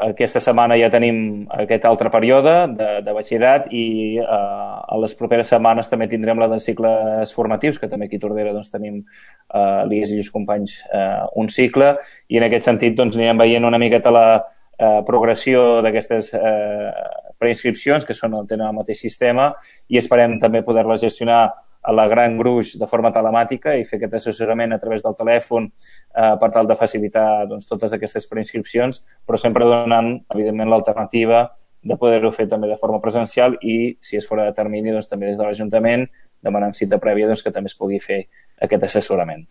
aquesta setmana ja tenim aquest altre període de batxillerat i a les properes setmanes també tindrem la de cicles formatius, que també aquí a Tordera doncs, tenim l'IES i els companys un cicle, i en aquest sentit doncs, anirem veient una miqueta la progressió d'aquestes preinscripcions, que tenen el mateix sistema, i esperem també poder-les gestionar a la gran gruix de forma telemàtica i fer aquest assessorament a través del telèfon per tal de facilitar doncs, totes aquestes preinscripcions, però sempre donant, evidentment, l'alternativa de poder-ho fer també de forma presencial i, si és fora de termini, doncs, també des de l'Ajuntament, demanant cita prèvia doncs, que també es pugui fer aquest assessorament.